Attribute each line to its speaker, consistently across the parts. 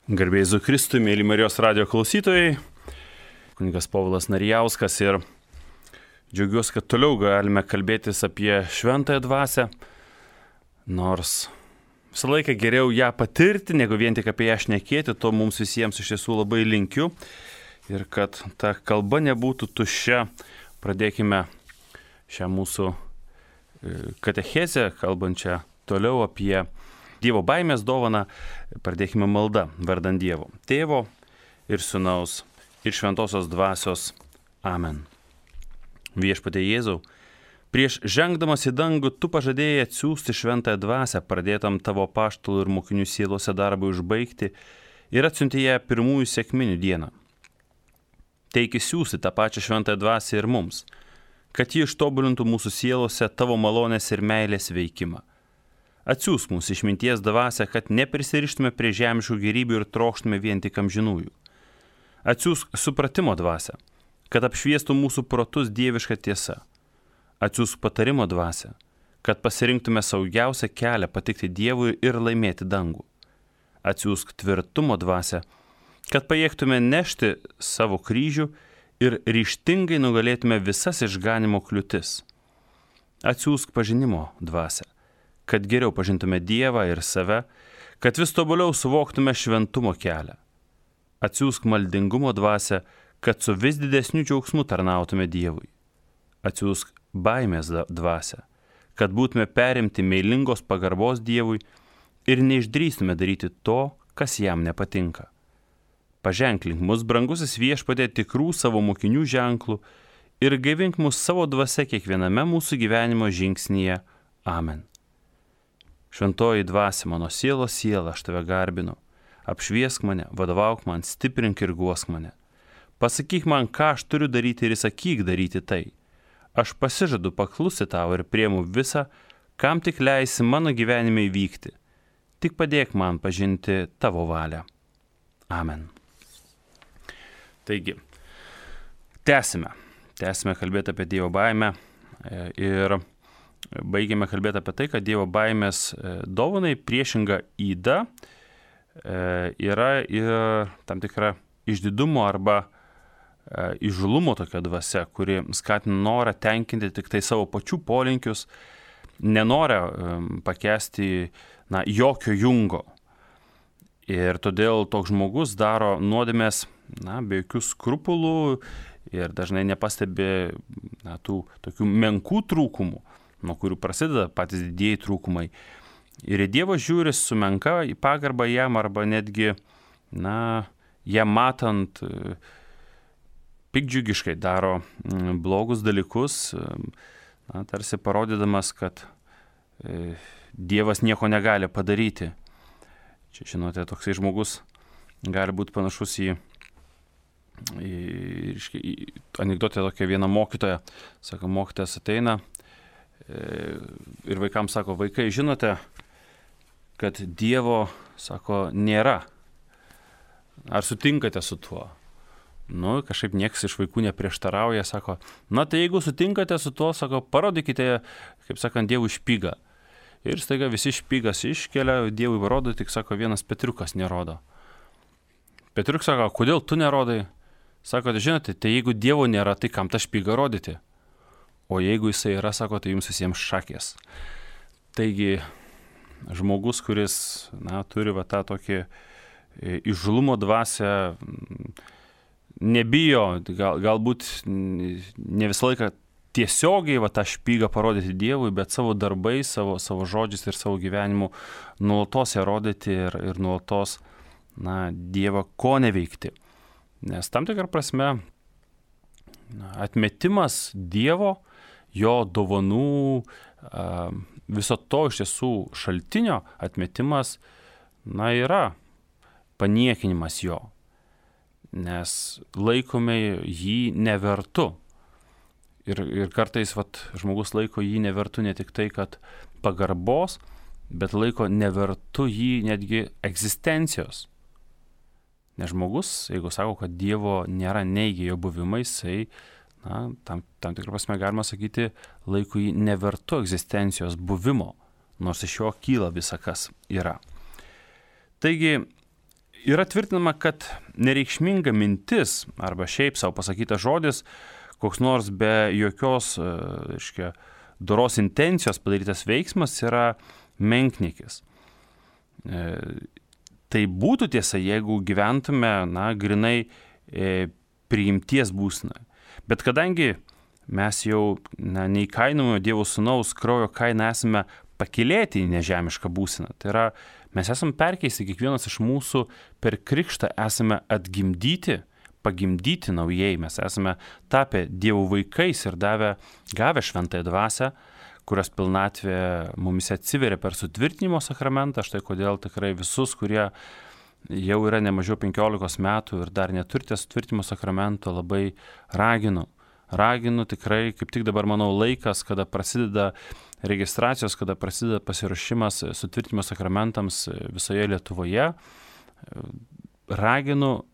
Speaker 1: Garbė Jėzui Kristui, mėly Marijos radijo klausytojai, kunigas Povilas Narijauskas ir džiaugiuosi, kad toliau galime kalbėtis apie šventąją dvasią, nors visą laiką geriau ją patirti, negu vien tik apie ją šnekėti, to mums visiems iš tiesų labai linkiu ir kad ta kalba nebūtų tuščia. Pradėkime šią mūsų katechezę, kalbančią toliau apie Dievo baimės dovaną, pradėkime maldą vardant Dievo, Tėvo ir Sūnaus ir Šventosios Dvasios. Amen. Viešpatie Jėzau, prieš žengdamas į dangų tu pažadėjai atsiųsti šventąją dvasią, pradėtam tavo apaštalų ir mokinių sielose darbui užbaigti ir atsiuntė ją pirmųjų sekminių dieną. Teiki siųsti tą pačią šventąją dvasią ir mums, kad ji ištobulintų mūsų sielose tavo malonės ir meilės veikimą. Atsiųsk mūsų išminties dvasią, kad neprisirištume prie žemiškų gėrybių ir trokštume vien tik amžinųjų. Atsiųsk supratimo dvasią, kad apšviestų mūsų protus dieviška tiesa. Atsiųsk patarimo dvasią, kad pasirinktume saugiausią kelią patikti Dievui ir laimėti dangų. Atsiųsk tvirtumo dvasią, kad pajėgtume nešti savo kryžių ir ryžtingai nugalėtume visas išganimo kliūtis. Atsiųsk pažinimo dvasią, kad geriau pažintume Dievą ir save, kad vis tobuliau suvoktume šventumo kelią. Atsiųsk maldingumo dvasią, kad su vis didesniu džiaugsmu tarnautume Dievui. Atsiųsk baimės dvasią, kad būtume perimti meilingos pagarbos Dievui ir neišdrįstume daryti to, kas jam nepatinka. Paženklink mus, brangusis Viešpatie, tikrų savo mokinių ženklų ir gaivink mus savo dvasia kiekviename mūsų gyvenimo žingsnyje. Amen. Šventoji dvasia, mano sielos siela, aš tave garbinu. Apšviesk mane, vadovauk man, stiprink ir guosk mane. Pasakyk man, ką aš turiu daryti ir įsakyk daryti tai. Aš pasižadu paklusti tau ir priimu visą, kam tik leisi mano gyvenime įvykti. Tik padėk man pažinti tavo valią. Amen. Taigi, tęsime kalbėti apie Dievo baimę ir baigėme kalbėti apie tai, kad Dievo baimės dovanai priešinga yda yra ir tam tikra išdidumo arba įžūlumo tokia dvasia, kuri skatina norą tenkinti tik tai savo pačių polinkius, nenorą pakęsti jokio jungo. Ir todėl toks žmogus daro nuodėmės be jokių skrupulų ir dažnai nepastebi tų tokių menkų trūkumų, nuo kurių prasideda patys didieji trūkumai. Ir Dievas žiūri su menka į pagarbą jam arba netgi, jam matant, piktdžiugiškai daro blogus dalykus, tarsi parodydamas, kad Dievas nieko negali padaryti. Čia, žinote, toksai žmogus gali būti panašus į anekdotę tokia viena mokytoja. Sako, mokytojas ateina ir vaikams sako, vaikai, žinote, kad Dievo, sako, nėra. Ar sutinkate su tuo? Kažkaip niekas iš vaikų neprieštarauja, sako, tai jeigu sutinkate su tuo, sako, parodykite, kaip sakant, Dievui špygą. Ir staiga visi špygas iškelia, Dievui parodo, tik, sako, vienas Petriukas nerodo. Petriukas sako, kodėl tu nerodai? Sako, žinote, tai jeigu Dievo nėra, tai kam tą špygą rodyti? O jeigu jisai yra, sako, tai jums visiems šakės. Taigi, žmogus, kuris, turi tą tokį įžūlumo dvasią, nebijo, galbūt ne visą laiką tiesiogiai tą špygą parodyti Dievui, bet savo darbais, savo žodžiais ir savo gyvenimu nuolatos ją rodyti ir nuolatos, Dievą ko neveikti. Nes tam tikrą prasme atmetimas Dievo, jo dovanų, viso to iš tiesų šaltinio atmetimas, yra paniekinimas jo, nes laikome jį nevertu. Ir kartais žmogus laiko jį nevertu ne tik tai, kad pagarbos, bet laiko nevertu jį netgi egzistencijos. Nes žmogus, jeigu sako, kad Dievo nėra, neigia jo buvimą, jisai tam tikrą prasme galima sakyti, laiko jį nevertu egzistencijos buvimo, nors iš jo kyla visa, kas yra. Taigi, yra tvirtinama, kad nereikšminga mintis arba šiaip savo pasakytas žodis, koks nors be jokios, doros intencijos padarytas veiksmas yra menkniekis. Tai būtų tiesa, jeigu gyventume, grinai priimties būseną. Bet kadangi mes jau neįkainojamo Dievo Sūnaus kraujo kainą esame pakylėti į nežemišką būseną, tai yra, mes esame perkeisti, kiekvienas iš mūsų per krikštą esame atgimdyti, pagimdyti naujai, mes esame tapę Dievo vaikais ir gavę šventąją dvasią, kurios pilnatvė mumis atsiveria per sutvirtinimo sakramentą. Štai kodėl tikrai visus, kurie jau yra ne mažiau 15 metų ir dar neturite sutvirtinimo sakramento, labai raginu tikrai, kaip tik dabar manau laikas, kada prasideda registracijos, kada prasideda pasiruošimas sutvirtinimo sakramentams visoje Lietuvoje. Raginu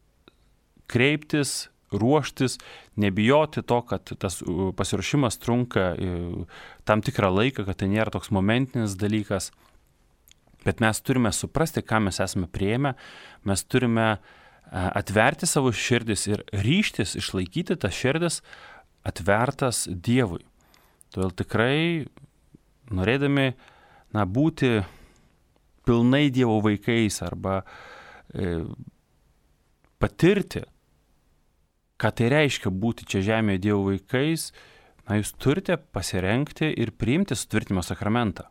Speaker 1: kreiptis, ruoštis, nebijoti to, kad tas pasiruošimas trunka tam tikrą laiką, kad tai nėra toks momentinis dalykas. Bet mes turime suprasti, ką mes esame priėmę, mes turime atverti savo širdis ir ryžtis išlaikyti tas širdis atvertas Dievui. Todėl tikrai, norėdami būti pilnai Dievo vaikais arba patirti, ką tai reiškia būti čia žemėje Dievo vaikais, jūs turite pasirengti ir priimti sutvirtinimo sakramentą.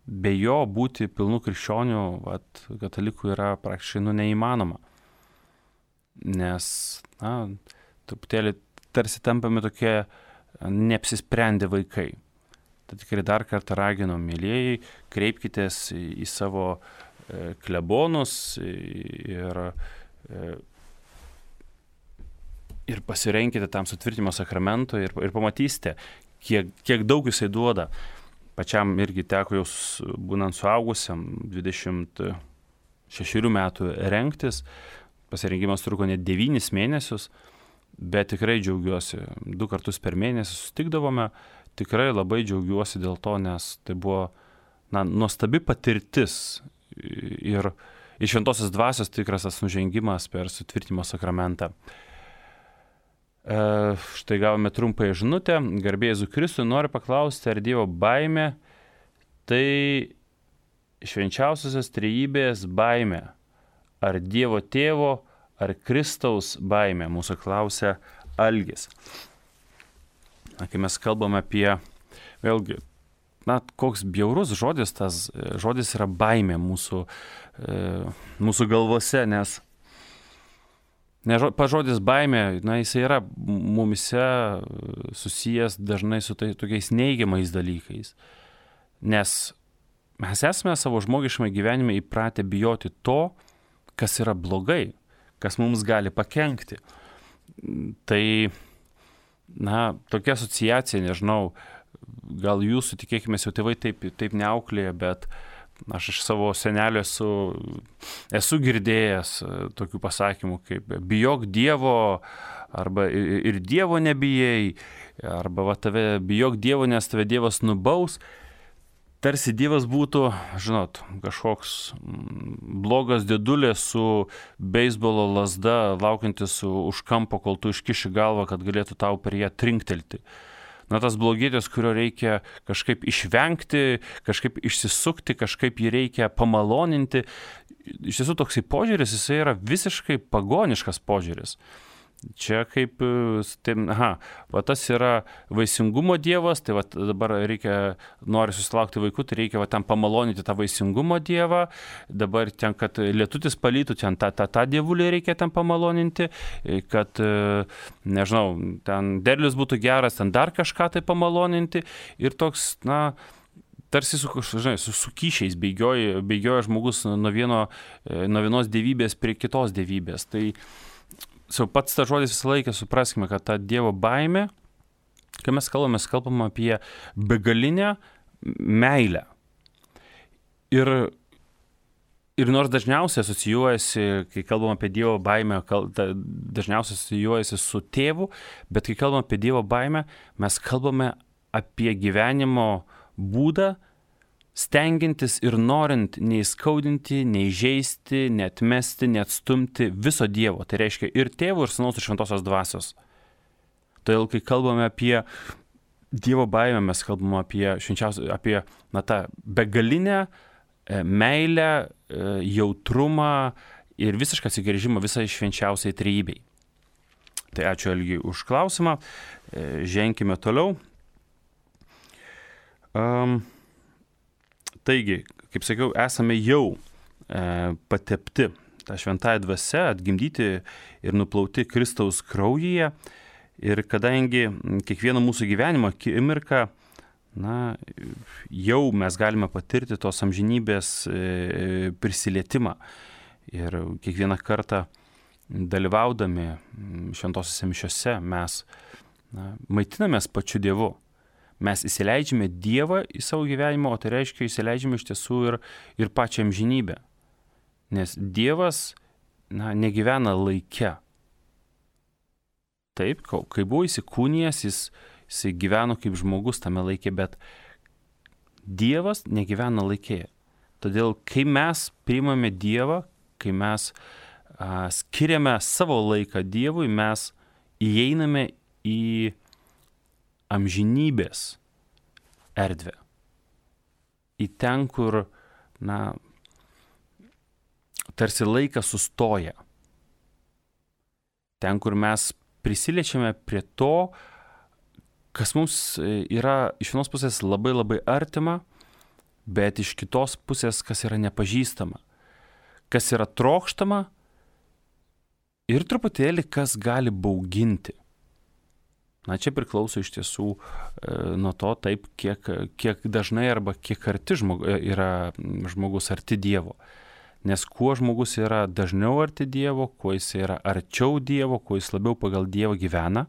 Speaker 1: Be jo būti pilnų krikščionių, katalikų yra praktiškai neįmanoma. Nes, truputėlį tarsi tampame tokie neapsisprendę vaikai. Tai tikrai dar kartą raginu, mielieji, kreipkitės į savo klebonus ir pasirenkite tam sutvirtinimo sakramentui ir pamatysite, kiek daug jisai duoda. Pačiam irgi teko jau būnant suaugusiam 26 metų rengtis. Pasirengimas truko net 9 mėnesius, bet tikrai džiaugiuosi. 2 kartus per mėnesį susitikdavome. Tikrai labai džiaugiuosi dėl to, nes tai buvo nuostabi patirtis ir iš šventosios dvasios tikras tas nužengimas per sutvirtinimo sakramentą. Štai gavome trumpąją žinutę. Garbė Jėzui Kristui, noriu paklausti, ar Dievo baimė tai švenčiausiosios trejybės baimė, ar Dievo Tėvo, ar Kristaus baimė, mūsų klausia Algis. Kai mes kalbame apie, vėlgi, koks bjaurus žodis, tas žodis yra baimė mūsų galvose, nes pažodis baimė, jisai yra mumise susijęs dažnai su tokiais neigiamais dalykais. Nes mes esame savo žmogiškame gyvenime įpratę bijoti to, kas yra blogai, kas mums gali pakenkti. Tai, tokia asociacija, nežinau, gal jūsų, tikėkime, jau tėvai taip neauklėja, bet aš iš savo senelio esu girdėjęs tokių pasakymų kaip bijok Dievo, arba ir Dievo nebijai, arba bijok Dievo, nes tave Dievas nubaus. Tarsi Dievas būtų, kažkoks blogas dėdulė su beisbolo lazda, laukiantis už kampo, kol tu iškiši galvą, kad galėtų tau per ją trinktelti. Tas blogietis, kurio reikia kažkaip išvengti, kažkaip išsisukti, kažkaip jį reikia pamaloninti. Iš tiesų toksai požiūris, jisai yra visiškai pagoniškas požiūris. Čia kaip, tas yra vaisingumo dievas, tai dabar nori susilaukti vaikų, tai reikia tam pamaloninti tą vaisingumo dievą, dabar ten, kad lietutis palytų, ten tą dievulį reikia ten pamaloninti, kad, nežinau, ten derlius būtų geras, ten dar kažką tai pamaloninti ir toks, tarsi su kyšiais bėgioja žmogus nuo vienos dievybės prie kitos dievybės. Tai pats tas žodis visą laiką supraskime, kad ta Dievo baimė, kai mes kalbame apie begalinę meilę. Ir nors dažniausiai asocijuojasi, kai kalbame apie Dievo baimę, dažniausiai asocijuojasi su tėvu, bet kai kalbame apie Dievo baimę, mes kalbame apie gyvenimo būdą stengiantis ir norint neįskaudinti, neįžeisti, neatmesti, neatstumti viso Dievo. Tai reiškia ir Tėvo, ir Sūnaus, ir Šventosios Dvasios. Todėl, kai kalbame apie Dievo baimę, mes kalbame apie tą begalinę meilę, jautrumą ir visišką atsigręžimą visai švenčiausiai trejybei. Tai ačiū Algiui už klausimą. Ženkime toliau. Taigi, kaip sakiau, esame jau patepti tą šventąją dvasią, atgimdyti ir nuplauti Kristaus kraujyje. Ir kadangi kiekvieno mūsų gyvenimo akimirką, jau mes galime patirti tos amžinybės prisilietimą. Ir kiekvieną kartą dalyvaudami šventosiose mišiose mes maitinamės pačiu Dievu. Mes įsileidžiame Dievą į savo gyvenimą, o tai reiškia įsileidžiame iš tiesų ir pačią amžinybę. Nes Dievas negyvena laike. Taip, kai buvo įsikūnijęs, jis gyveno kaip žmogus tame laike, bet Dievas negyvena laike. Todėl, kai mes priimame Dievą, kai mes skiriame savo laiką Dievui, mes įeiname į amžinybės erdvę. Į ten, kur, tarsi laikas sustoja. Ten, kur mes prisiliečiame prie to, kas mums yra iš vienos pusės labai labai artima, bet iš kitos pusės, kas yra nepažįstama, kas yra trokštama ir truputėlį, kas gali bauginti. Čia priklauso iš tiesų nuo to taip, kiek dažnai arba kiek arti yra žmogus arti Dievo. Nes kuo žmogus yra dažniau arti Dievo, kuo jis yra arčiau Dievo, kuo jis labiau pagal Dievą gyvena,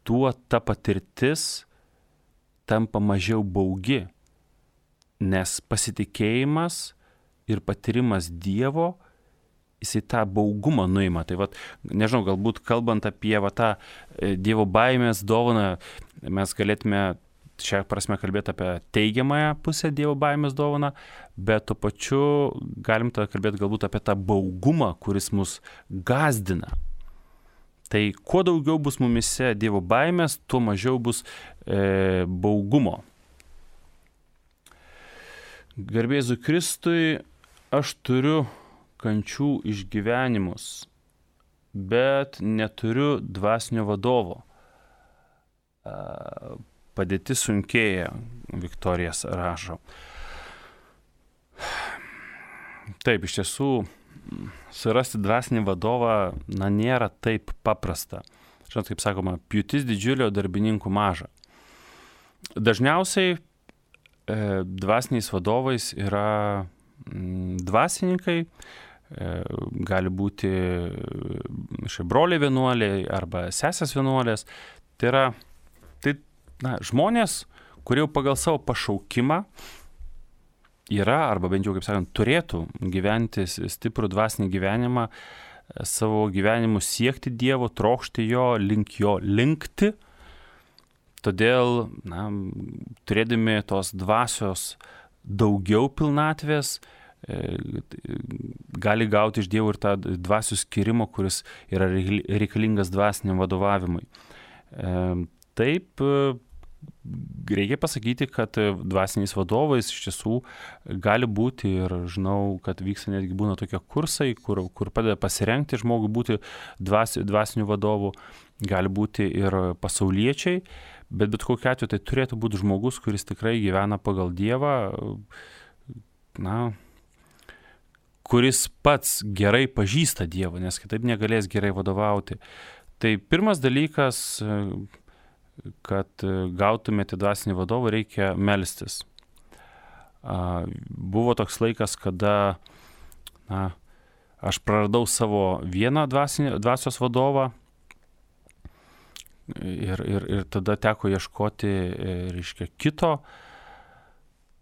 Speaker 1: tuo ta patirtis tampa mažiau baugi, nes pasitikėjimas ir patyrimas Dievo, jisai tą baugumą nuima. Tai nežinau, galbūt kalbant apie tą Dievo baimės dovaną, mes galėtume šią prasme kalbėti apie teigiamąją pusę Dievo baimės dovaną, bet tuo pačiu galim tada kalbėti galbūt apie tą baugumą, kuris mus gazdina. Tai kuo daugiau bus mumise Dievo baimės, tuo mažiau bus baugumo. Garbė Jėzui Kristui, aš turiu kančių išgyvenimus, bet neturiu dvasinio vadovo. Padėtis sunkėja, Viktorijas rašo. Taip, iš tiesų, surasti dvasinį vadovą, nėra taip paprasta. Žinot, kaip sakoma, pjūtis didžiulio, darbininkų maža. Dažniausiai dvasiniais vadovais yra dvasininkai, gali būti broliai vienuoliai arba sesės vienuolės. Tai yra žmonės, kurie jau pagal savo pašaukimą yra, arba bent jau, kaip sakant, turėtų gyventi stiprų dvasinį gyvenimą, savo gyvenimu siekti Dievo, trokšti jo linkti. Todėl, turėdami tos dvasios daugiau pilnatvės, gali gauti iš Dievo ir tą dvasių skirimą, kuris yra reikalingas dvasiniam vadovavimui. Taip, reikia pasakyti, kad dvasiniais vadovais iš tiesų gali būti, ir žinau, kad vyksta netgi būna tokie kursai, kur padeda pasirengti žmogui būti dvasiniu vadovu, gali būti ir pasauliečiai, bet kokiu atveju tai turėtų būti žmogus, kuris tikrai gyvena pagal Dievą, kuris pats gerai pažįsta Dievą, nes kitaip negalės gerai vadovauti. Tai pirmas dalykas, kad gautumėte dvasinį vadovą, reikia melstis. Buvo toks laikas, kada aš praradau savo vieną dvasios vadovą ir tada teko ieškoti, kito.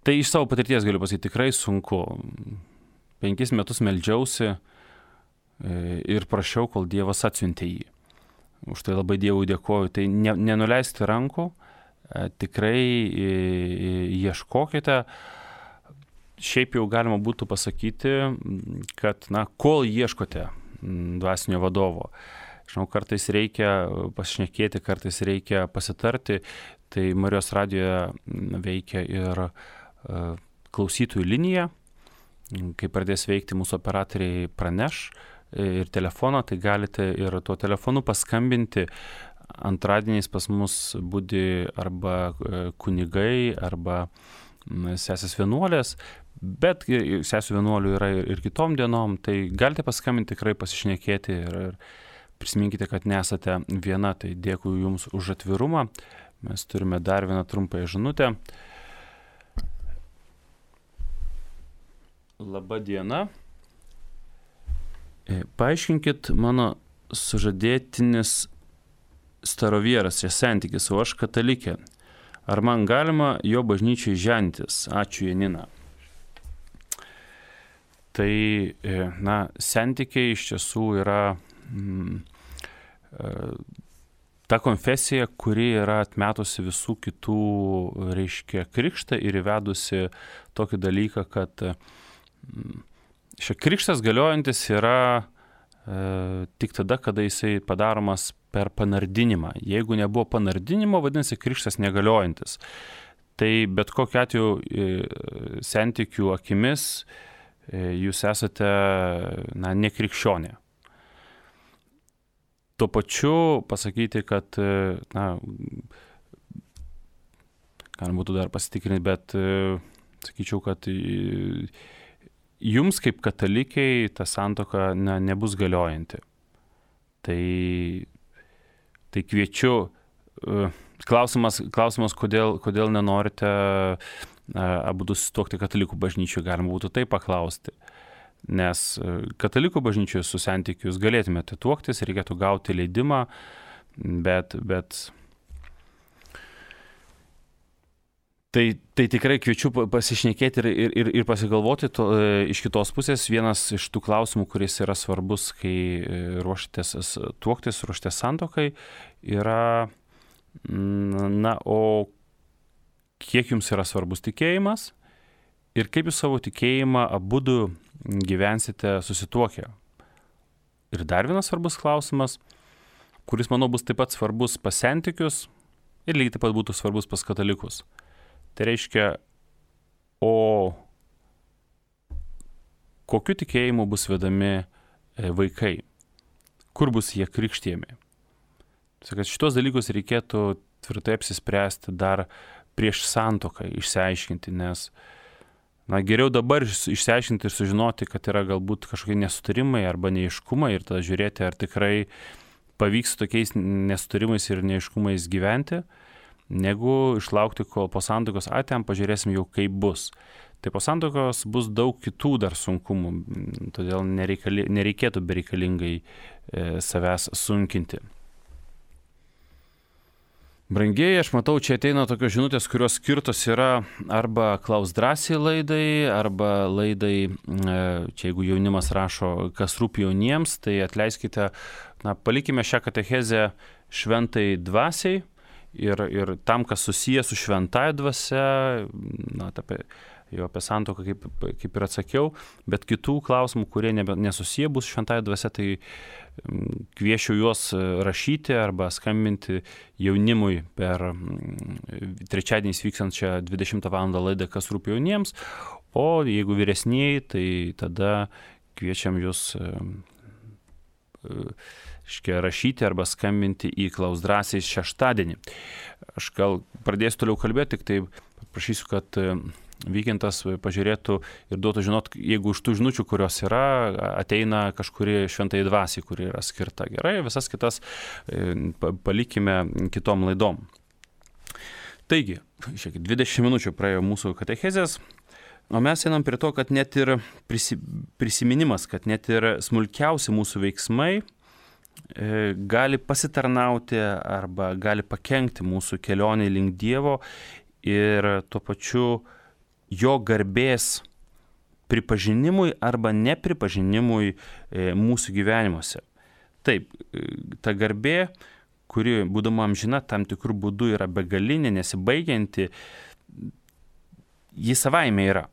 Speaker 1: Tai iš savo patirties galiu pasakyti, tikrai sunku. 5 metus meldžiausi ir prašiau, kol Dievas atsiuntė jį. Už tai labai Dievui dėkoju. Tai nenuleisti rankų, tikrai ieškokite. Šiaip jau galima būtų pasakyti, kad, kol ieškote dvasinio vadovo, žinau, kartais reikia pasišnekėti, kartais reikia pasitarti, tai Marijos radijoje veikia ir klausytojų linija. Kai pradės veikti, mūsų operatoriai praneš ir telefoną, tai galite ir tuo telefonu paskambinti. Antradieniais pas mus budi arba kunigai, arba sesės vienuolės, bet sesų vienuolių yra ir kitom dienom, tai galite paskambinti, tikrai pasišnekėti ir prisiminkite, kad nesate viena. Tai dėkui Jums už atvirumą. Mes turime dar vieną trumpąją žinutę. Labą dieną. Paaiškinkit, mano sužadėtinis starovieras, čia santykis, o aš katalikė. Ar man galima jo bažnyčiai žentis? Ačiū, Janina. Tai, santykiai iš tiesų yra ta konfesija, kuri yra atmetusi visų kitų, reiškia, krikštą ir įvedusi tokį dalyką, kad krikštas galiojantis yra tik tada, kada jisai padaromas per panardinimą. Jeigu nebuvo panardinimo, vadinasi, krikštas negaliojantis. Tai bet kokiu atveju santykių akimis jūs esate nekrikščionė. Tuo pačiu pasakyti, kad, galima būtų dar pasitikrinti, bet sakyčiau, kad jums kaip katalikiai ta santuoka nebus galiojanti. Tai kviečiu, klausimas kodėl nenorite abudu susituokti katalikų bažnyčioje, galima būtų taip paklausti. Nes katalikų bažnyčioje su santykiu jūs galėtumėte tuoktis, reikėtų gauti leidimą, bet Tai tikrai kviečiu pasišnekėti ir pasigalvoti iš kitos pusės. Vienas iš tų klausimų, kuris yra svarbus, kai ruoštės tuoktis, ruoštės santuokai, yra, o kiek jums yra svarbus tikėjimas ir kaip jūs savo tikėjimą abudu gyvensite susituokę. Ir dar vienas svarbus klausimas, kuris, manau, bus taip pat svarbus pas santykius ir lygiai taip pat būtų svarbus pas katalikus. Tai reiškia, o kokiu tikėjimu bus vedami vaikai, kur bus jie krikštijami. Tai šitos dalykus reikėtų tvirtai apsispręsti dar prieš santuoką, išsiaiškinti, nes geriau dabar išsiaiškinti ir sužinoti, kad yra galbūt kažkokie nesutarimai arba neaiškumai ir tada žiūrėti, ar tikrai pavyks tokiais nesutarimais ir neaiškumais gyventi, negu išlaukti, kol po santuokos ten pažiūrėsim jau kaip bus. Tai po santuokos bus daug kitų dar sunkumų, todėl nereikėtų bereikalingai savęs sunkinti. Brangieji, aš matau, čia ateina tokios žinutės, kurios skirtos yra arba Klaus drąsiai laidai, arba laidai, čia jeigu jaunimas rašo, kas rūpi jauniems, tai atleiskite, palikime šią katechezę šventai dvasiai ir tam, kas susiję su šventąja dvasia, apie santuoką kaip ir atsakiau, bet kitų klausimų, kurie nesusiję bus šventąja dvasia, tai kviečiu juos rašyti arba skambinti jaunimui per trečiadieniais vykstančią 20 val. Laidą, kas rūpi jauniems, o jeigu vyresnieji, tai tada kviečiam jūs rašyti arba skambinti į Klaus drąsiai šeštadienį. Aš gal pradėsiu toliau kalbėti, tik tai paprašysiu, kad Vykintas pažiūrėtų ir duotų žinot, jeigu iš tų žinučių, kurios yra, ateina kažkuri šventai dvasiai, kuri yra skirta. Gerai, visas kitas palikime kitom laidom. Taigi, 20 minučių praėjo mūsų katechezės, o mes einam prie to, kad net ir prisiminimas, kad net ir smulkiausi mūsų veiksmai gali pasitarnauti arba gali pakenkti mūsų kelionei link Dievo ir tuo pačiu jo garbės pripažinimui arba nepripažinimui mūsų gyvenimuose. Taip, ta garbė, kuri, būdama amžina, tam tikrų būdų yra begalinė, nesibaigianti, ji savaime yra.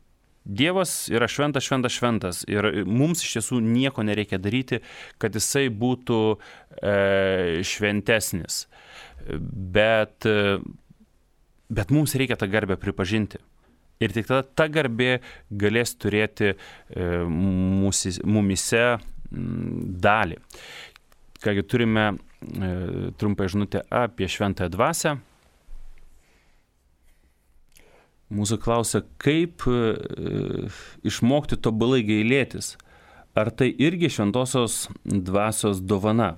Speaker 1: Dievas yra šventas, šventas, šventas ir mums iš tiesų nieko nereikia daryti, kad jisai būtų šventesnis. Bet mums reikia tą garbę pripažinti. Ir tik tada ta garbė galės turėti mumise dalį. Kągi turime trumpą žinutę apie šventąją dvasią. Mūsų klausia, kaip išmokti tobulai gailėtis. Ar tai irgi šventosios dvasios dovana?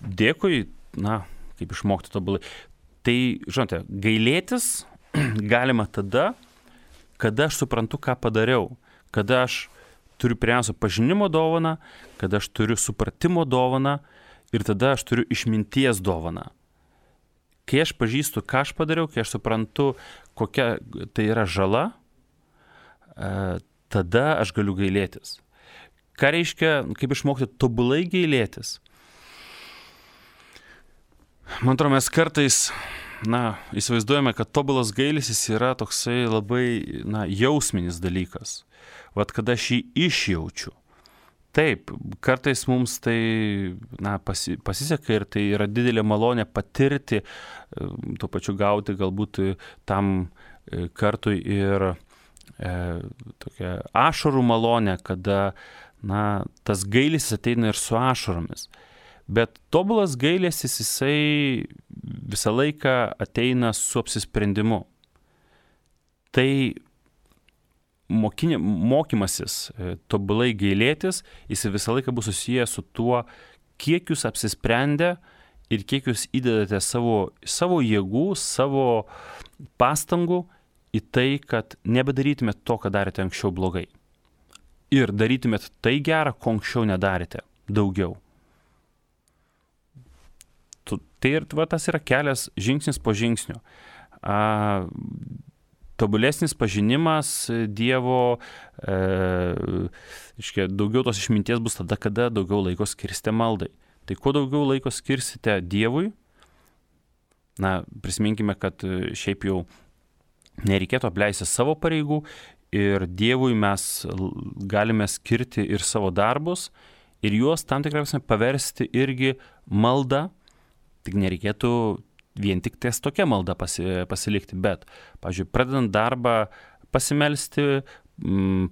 Speaker 1: Dėkui, kaip išmokti tobulai. Tai, žinote, gailėtis galima tada, kada aš suprantu, ką padariau. Kada aš turiu pirmiausia pažinimo dovaną, kada aš turiu supratimo dovaną ir tada aš turiu išminties dovaną. Kai aš pažįstu, ką aš padariau, kai aš suprantu, kokia tai yra žala, tada aš galiu gailėtis. Ką reiškia, kaip išmokti tobulai gailėtis? Man atrodo, mes kartais, įsivaizduojame, kad tobulas gailestis yra toksai labai, jausminis dalykas. Vat kada aš jį išjaučiu. Taip, kartais mums tai pasiseka ir tai yra didelė malonė patirti, tuo pačiu gauti galbūt tam kartui ir tokia ašarų malonė, kada tas gailestis ateina ir su ašaromis. Bet tobulas gailestis jisai visą laiką ateina su apsisprendimu. Tai mokymasis tobulai gailėtis, jis visą laiką bus susijęs su tuo, kiek jūs apsisprendę ir kiek jūs įdedate savo jėgų, savo pastangų į tai, kad nebedarytumėt to, ką darėte anksčiau blogai. Ir darytumėt tai gerą, ko anksčiau nedarėte, daugiau. Tai ir tas yra kelias žingsnis po žingsnio. Tobulesnis pažinimas Dievo, daugiau tos išminties bus tada, kada daugiau laiko skirsite maldai. Tai kuo daugiau laiko skirsite Dievui, prisiminkime, kad šiaip jau nereikėtų apleisti savo pareigų ir Dievui mes galime skirti ir savo darbus ir juos tam tikrai paversti irgi maldą, tik nereikėtų vien tik ties tokia malda pasilikti, bet, pavyzdžiui, pradedant darbą pasimelsti,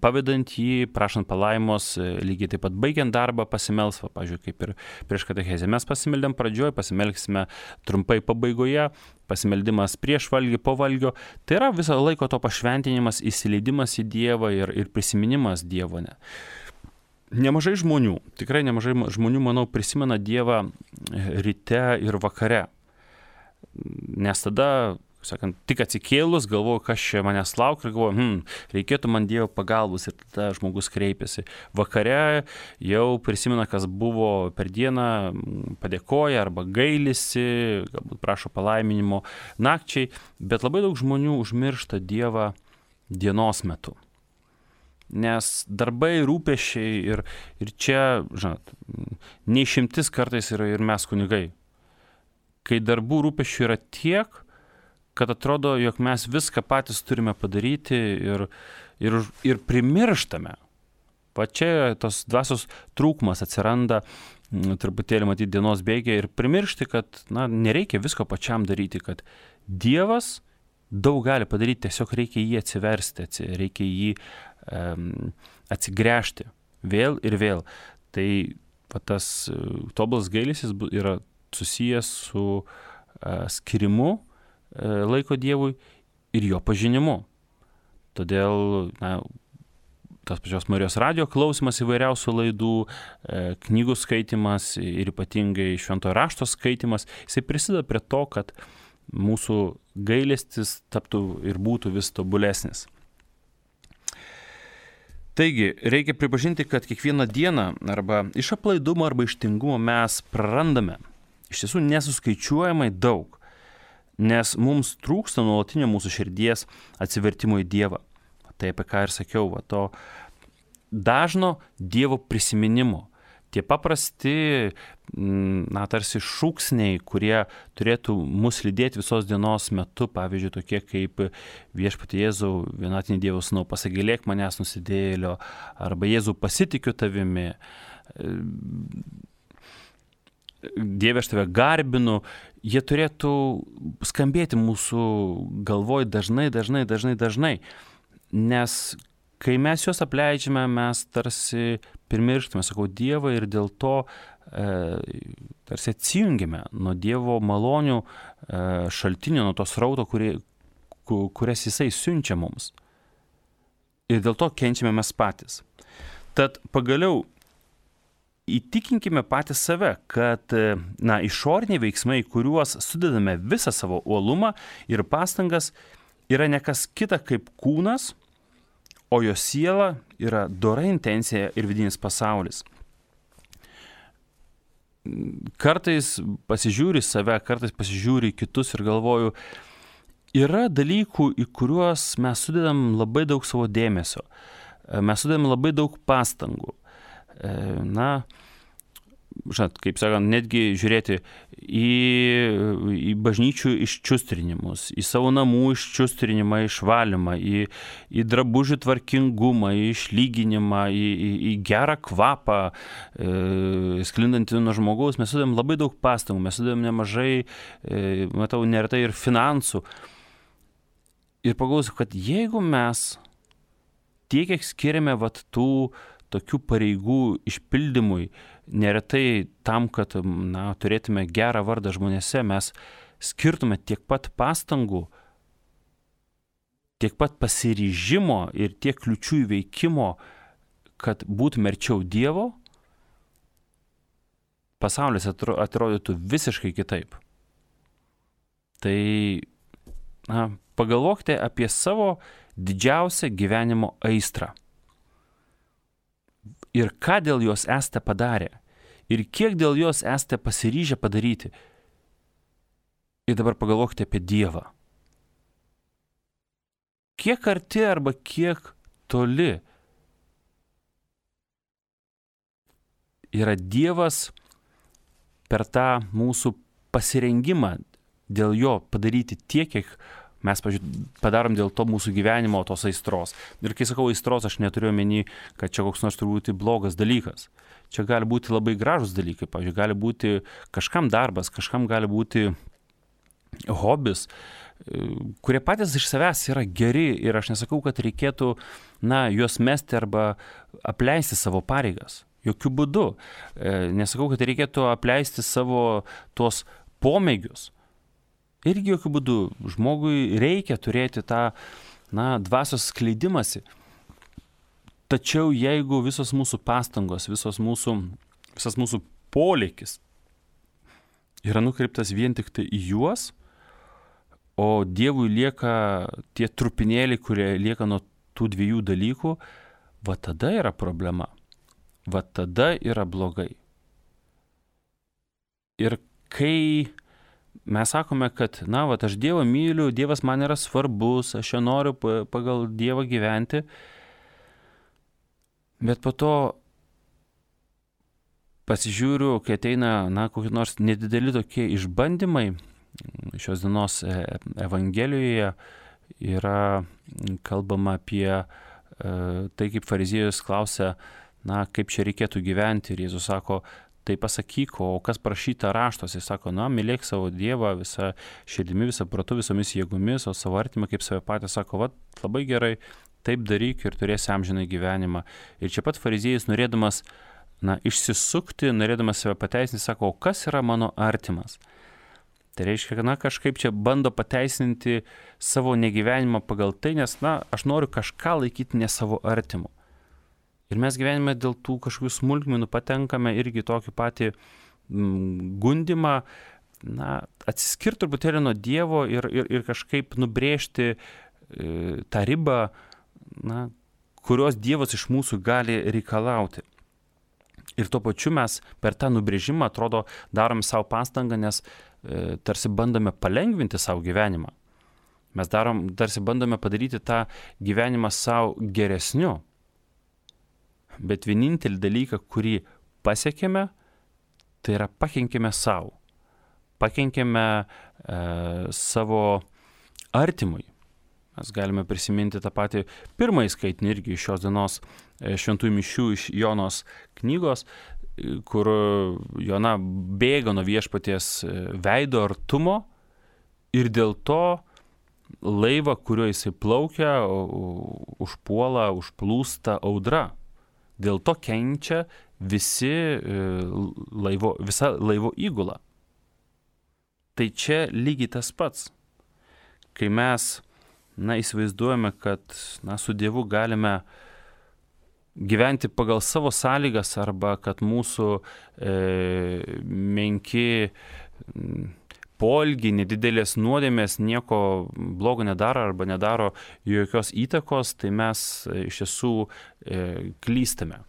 Speaker 1: pavedant jį, prašant palaimos, lygiai taip pat baigiant darbą pasimels, pavyzdžiui, kaip ir prieš katechezę mes pasimeldėm pradžioj, pasimelksime trumpai pabaigoje, pasimeldimas prieš valgį, po valgio, tai yra viso laiko to pašventinimas, įsileidimas į Dievą ir prisiminimas Dievo. Nemažai žmonių, tikrai nemažai žmonių, manau, prisimena Dievą ryte ir vakare. Nes tada, sakant, tik atsikėlus, galvoju, kas čia manęs laukia ir galvoju, reikėtų man Dievo pagalbos ir tada žmogus kreipiasi. Vakare jau prisimena, kas buvo per dieną, padėkoja arba gailisi, galbūt prašo palaiminimo nakčiai, bet labai daug žmonių užmiršta Dievą dienos metu. Nes darbai, rūpesčiai ir čia, žinot, neišimtis kartais yra ir mes kunigai. Kai darbų rūpesčių yra tiek, kad atrodo, jog mes viską patys turime padaryti ir primirštame. Va čia tos dvasios trūkumas atsiranda truputėlį matyti dienos bėgyje ir primiršti, kad nereikia visko pačiam daryti, kad Dievas daug gali padaryti, tiesiog reikia jį atsiversti, reikia jį atsigręžti vėl ir vėl. Tai tas tobulas gailestis yra susijęs su skirimu laiko Dievui ir jo pažinimu. Todėl tas pačios Marijos radijo klausimas įvairiausių laidų, knygų skaitimas ir ypatingai šventojo rašto skaitimas, jisai prisideda prie to, kad mūsų gailestis taptų ir būtų vis tobulesnis. Taigi, reikia pripažinti, kad kiekvieną dieną arba iš aplaidumo arba iš tingumo mes prarandame iš tiesų nesuskaičiuojamai daug, nes mums trūksta nuolatinio mūsų širdies atsivertimo į Dievą. Tai apie ką ir sakiau, to dažno Dievo prisiminimo. Tie paprasti, tarsi šūksniai, kurie turėtų mus lydėti visos dienos metu, pavyzdžiui, tokie kaip Viešpatie Jėzau, vienatinį Dievo Sūnau, pasigailėk manęs nusidėjėlio, arba Jėzau, pasitikiu tavimi, Dieve, aš tave garbinu, jie turėtų skambėti mūsų galvoj dažnai, nes kai mes juos apleidžiame, mes tarsi primirštame, sakau, Dievą ir dėl to tarsi atsijungiame nuo Dievo malonių šaltinio, nuo tos srauto, kurias Jisai siunčia mums. Ir dėl to kenčiame mes patys. Tad pagaliau įtikinkime patys save, kad išoriniai veiksmai, kuriuos sudedame visą savo uolumą ir pastangas, yra ne kas kita kaip kūnas, o jo siela yra dora intencija ir vidinis pasaulis. Kartais pasižiūri save, kartais pasižiūri kitus ir galvoju, yra dalykų, į kuriuos mes sudedam labai daug savo dėmesio, mes sudedam labai daug pastangų. Kaip sakant, netgi žiūrėti į bažnyčių iščiustrinimus, į savo namų iščiustrinimą, išvalymą, į drabužių tvarkingumą, į išlyginimą, į gerą kvapą, sklindantį nuo žmogaus. Mes sudedam labai daug pastangų, mes sudedam nemažai, matau, neretai ir finansų. Ir pagalvosiu, kad jeigu mes tiek, kiek skiriame tų tokių pareigų išpildymui, neretai tam, kad turėtume gerą vardą žmonėse, mes skirtume tiek pat pastangų, tiek pat pasiryžimo ir tiek kliučių įveikimo, kad būtume arčiau Dievo, pasaulis atrodytų visiškai kitaip. Tai pagalvokite apie savo didžiausią gyvenimo aistrą. Ir ką dėl jos esate padarę. Ir kiek dėl jos esate pasiryžę padaryti. Ir dabar pagalvokite apie Dievą. Kiek arti arba kiek toli yra Dievas per tą mūsų pasirengimą dėl jo padaryti tiek, kiek mes padarom dėl to mūsų gyvenimo, tos aistros. Ir kai sakau aistros, aš neturiu omeny, kad čia koks nors turbūt blogas dalykas. Čia gali būti labai gražus dalykai. Pavyzdžiui, gali būti kažkam darbas, kažkam gali būti hobis, kurie patys iš savęs yra geri. Ir aš nesakau, kad reikėtų juos mesti arba apleisti savo pareigas. Jokių būdų. Nesakau, kad reikėtų apleisti savo tuos pomėgius. Irgi jokių būdų žmogui reikia turėti tą dvasios skleidimąsi. Tačiau jeigu visos mūsų pastangos, visas mūsų polėkis yra nukreiptas vien tik tai į juos, o Dievui lieka tie trupinėliai, kurie lieka nuo tų dviejų dalykų, va tada yra problema. Va tada yra blogai. Ir kai mes sakome, kad, aš Dievą myliu, Dievas man yra svarbus, aš jo noriu pagal Dievą gyventi, bet po to pasižiūriu, kai ateina, kokie nors nedideli tokie išbandymai, šios dienos Evangelijoje yra kalbama apie tai, kaip fariziejus klausia, kaip čia reikėtų gyventi, ir Jėzus sako, tai pasakyk, o kas prašyta raštuose, jis sako, mylėk savo Dievą visą širdimi, visą protu, visomis jėgomis, o savo artimą kaip save patys, sako, labai gerai, taip daryk ir turėsi amžiną gyvenimą. Ir čia pat fariziejus, norėdamas išsisukti, norėdamas save pateisinti, sako, o kas yra mano artimas? Tai reiškia, kad kažkaip čia bando pateisinti savo negyvenimą pagal tai, nes aš noriu kažką laikyti ne savo artimu. Ir mes gyvenime dėl tų kažkokių smulkmenų patenkame irgi tokį patį gundimą, atsiskirti truputėlį nuo Dievo ir kažkaip nubrėžti tą ribą, kurios Dievas iš mūsų gali reikalauti. Ir tuo pačiu mes per tą nubrėžimą, atrodo, darome savo pastangą, nes tarsi bandome palengvinti savo gyvenimą. Mes tarsi bandome padaryti tą gyvenimą savo geresniu. Bet vienintelį dalyką, kurį pasiekėme, tai yra pakenkėme savo. Pakenkėme savo artimui. Mes galime prisiminti tą patį pirmąjį skaitinį irgi iš šios dienos šventųjų mišių iš Jonos knygos, kur Jona bėga nuo viešpaties veido artumo ir dėl to laivą, kuriuo jisai plaukia, užpuola, užplūsta audra. Dėl to kenčia visa laivo įgula. Tai čia lygiai tas pats. Kai mes įsivaizduojame, kad su Dievu galime gyventi pagal savo sąlygas arba kad mūsų menki poelgiai, nedidelės nuodėmės nieko blogo nedaro arba nedaro jokios įtakos, tai mes iš tiesų klystame.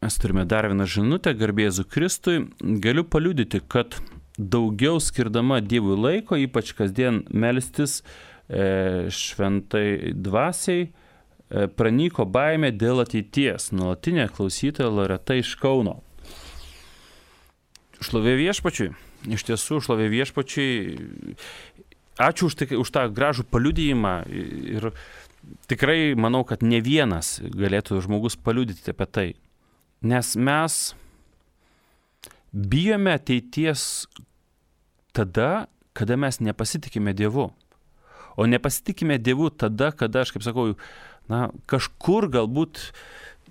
Speaker 1: Mes turime dar vieną žinutę, garbė Jėzui Kristui. Galiu paliudyti, kad daugiau skirdama Dievui laiko, ypač kasdien melstis šventai dvasiai, pranyko baimė dėl ateities. Nuolatinė klausytoja Loreta iš Kauno. Šlovė viešpačiui. Iš tiesų, šlovė viešpačiui. Ačiū už tą gražų paliudijimą ir tikrai manau, kad ne vienas galėtų žmogus paliudyti apie tai. Nes mes bijome ateities tada, kada mes nepasitikime Dievu. O nepasitikime Dievu tada, kada, aš kaip sakau, kažkur galbūt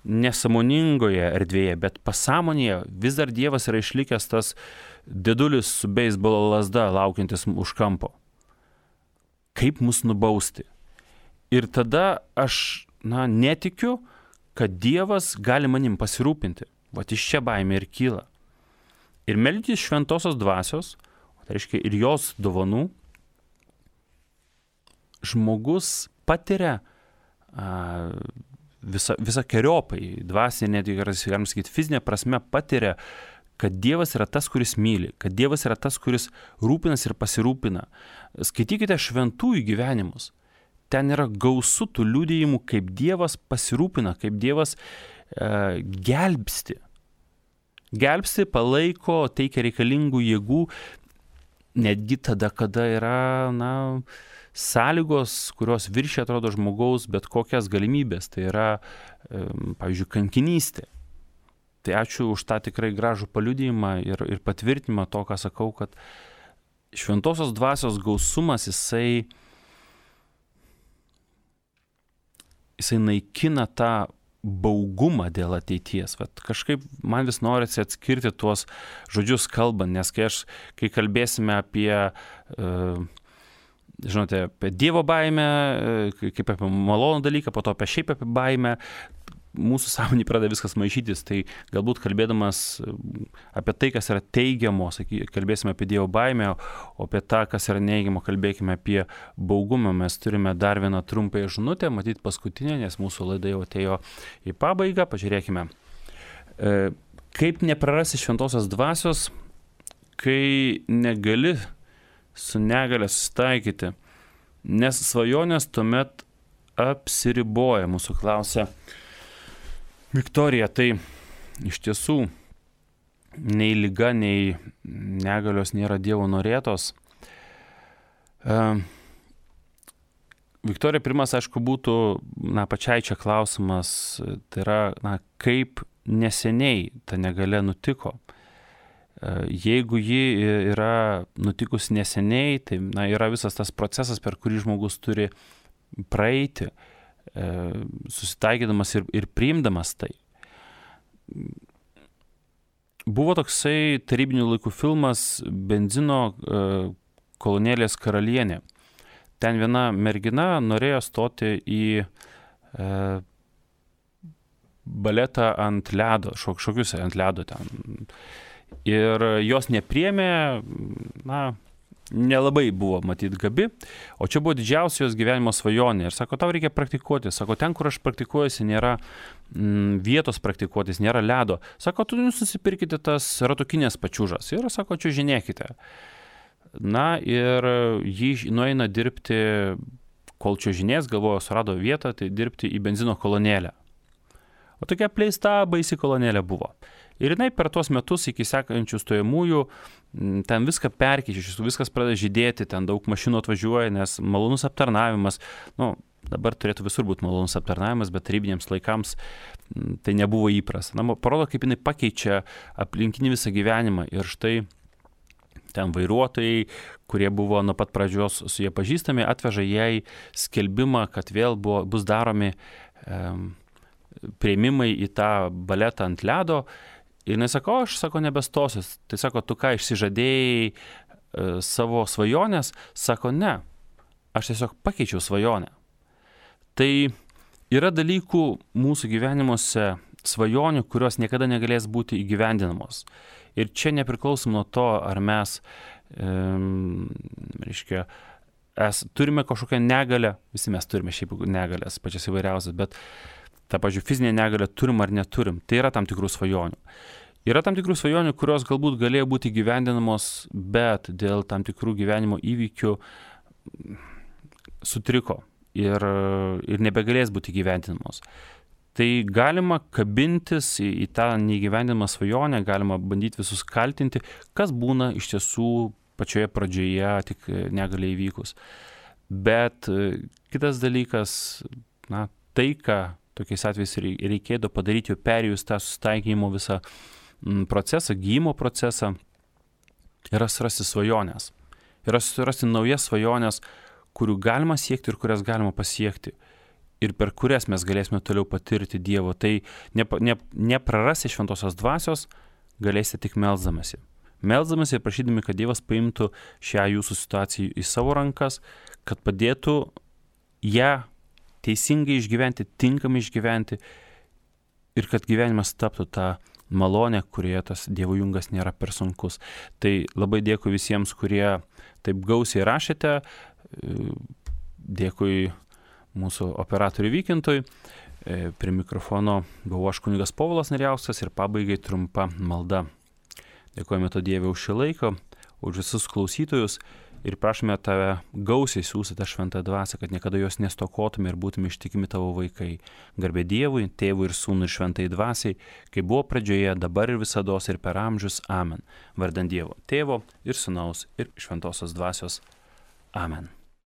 Speaker 1: nesąmoningoje erdvėje, bet pasąmonėje vis dar Dievas yra išlikęs tas dėdulis su beisbolo lazda laukiantis už kampo. Kaip mus nubausti? Ir tada aš netikiu, kad Dievas gali manim pasirūpinti. Vat iš čia baimė ir kyla. Ir meldys šventosios dvasios, tai reiškia ir jos dovanų, žmogus patiria visokiojopai, dvasinė, netgi galim sakyti, fizinė prasme patiria, kad Dievas yra tas, kuris myli, kad Dievas yra tas, kuris rūpinas ir pasirūpina. Skaitykite šventųjų gyvenimus. Ten yra gausu tų liudijimų, kaip Dievas pasirūpina, kaip Dievas gelbsti. Gelbsti, palaiko, teikia reikalingų jėgų, netgi tada, kada yra, sąlygos, kurios viršia atrodo žmogaus bet kokias galimybės. Tai yra, pavyzdžiui, kankinystė. Tai ačiū už tą tikrai gražų paliudijimą ir patvirtinimą to, ką sakau, kad šventosios dvasios gausumas, jisai naikina tą baugumą dėl ateities. Vat kažkaip man vis norisi atskirti tuos žodžius kalbant, nes kai kalbėsime apie žinote, apie Dievo baimę, kaip apie malonų dalyką, po to apie baimę, mūsų sąmonė pradeda viskas maišytis, tai galbūt kalbėdamas apie tai, kas yra teigiamo, kalbėsime apie Dievo baimę, o apie tą, kas yra neigiamo, kalbėkime apie baugumą. Mes turime dar vieną trumpąją žinutę, matyt paskutinę, nes mūsų laida jau atėjo į pabaigą. Pažiūrėkime. Kaip neprarasti šventosios dvasios, kai negali su negalia susitaikyti, nes svajonės tuomet apsiriboja, mūsų klausia Viktorija. Tai iš tiesų nei liga, nei negalios nėra Dievo norėtos. Viktorija, pirmas, aišku, būtų pačiai čia klausimas, tai yra, kaip neseniai ta negalia nutiko. Jeigu ji yra nutikusi neseniai, tai yra visas tas procesas, per kurį žmogus turi praeiti, susitaikydamas ir priimdamas tai. Buvo toksai tarybinių laikų filmas Benzino kolonėlės karalienė. Ten viena mergina norėjo stoti į baletą ant ledo, šokius ant ledo ten. Ir jos nepriėmė, nelabai buvo matyt gabi, o čia buvo didžiausia jos gyvenimo svajonė. Ir sako, tau reikia praktikuoti. Sako, ten, kur aš praktikuojuosi, nėra vietos praktikuotis, nėra ledo. Sako, tu nusipirkite tas ratukinės pačiūžas ir, sako, čiuožinėkite. Ir jį nueina dirbti, kol čiuožinės, galvojo, surado vietą, tai dirbti į benzino kolonėlę. O tokia apleista baisi kolonėlė buvo. Ir jinai per tuos metus iki sekančių stojamųjų ten viską perkeičia, viskas pradeda žydėti, ten daug mašinų atvažiuoja, nes malonus aptarnavimas, dabar turėtų visur būti malonus aptarnavimas, bet tarybiniams laikams tai nebuvo įprasta. Parodo, kaip jinai pakeičia aplinkinį visą gyvenimą ir štai ten vairuotojai, kurie buvo nuo pat pradžios su jie pažįstami, atveža jai skelbimą, kad vėl bus daromi prieimimai į tą baletą ant ledo. Ir jinai sako, aš nebestosiu. Tai sako, tu ką, išsižadėjai savo svajonės? Sako, ne, aš tiesiog pakeičiau svajonę. Tai yra dalykų mūsų gyvenimuose svajonių, kurios niekada negalės būti įgyvendinamos. Ir čia nepriklausom nuo to, ar mes turime kažkokią negalę, visi mes turime šiaip negalės, pačias įvairiausias, bet tą, pavyzdžiui, fizinę negalę turim ar neturim. Tai yra tam tikrų svajonių. Yra tam tikrų svajonių, kurios galbūt galėjo būti gyvendinamos, bet dėl tam tikrų gyvenimo įvykių sutriko ir nebegalės būti gyvendinamos. Tai galima kabintis į tą neįgyvendinamą svajonę, galima bandyti visus kaltinti, kas būna iš tiesų pačioje pradžioje, tik negali įvykus. Bet kitas dalykas, tai, ką tokiais atvejais reikėtų padaryti, jau perėjus tą susitaikymo visą procesą, gyjimo procesą, yra surasti svajonės. Yra surasti naujas svajonės, kurių galima siekti ir kurias galima pasiekti. Ir per kurias mes galėsime toliau patirti Dievo. Tai neprarasti šventosios dvasios galėsite tik melsdamasi. Melsdamasi ir prašydami, kad Dievas paimtų šią jūsų situaciją į savo rankas, kad padėtų ją teisingai išgyventi, tinkamai išgyventi ir kad gyvenimas taptų tą malonę, kurioje tas Dievo jungas nėra per sunkus. Tai labai dėkui visiems, kurie taip gausiai rašėte. Dėkui mūsų operatoriui Vykintui. Prie mikrofono buvau aš kunigas Povilas Narijauskas ir pabaigai trumpa malda. Dėkojame to Dieve už šį laiką, už visus klausytojus ir prašome tave gausiai siųsti tą šventą dvasią, kad niekada jos nestokotume ir būtume ištikimi tavo vaikai. Garbė Dievui, Tėvui ir Sūnui ir šventai dvasiai, kaip buvo pradžioje, dabar ir visados ir per amžius. Amen. Vardan Dievo, Tėvo ir Sūnaus ir šventosios dvasios. Amen.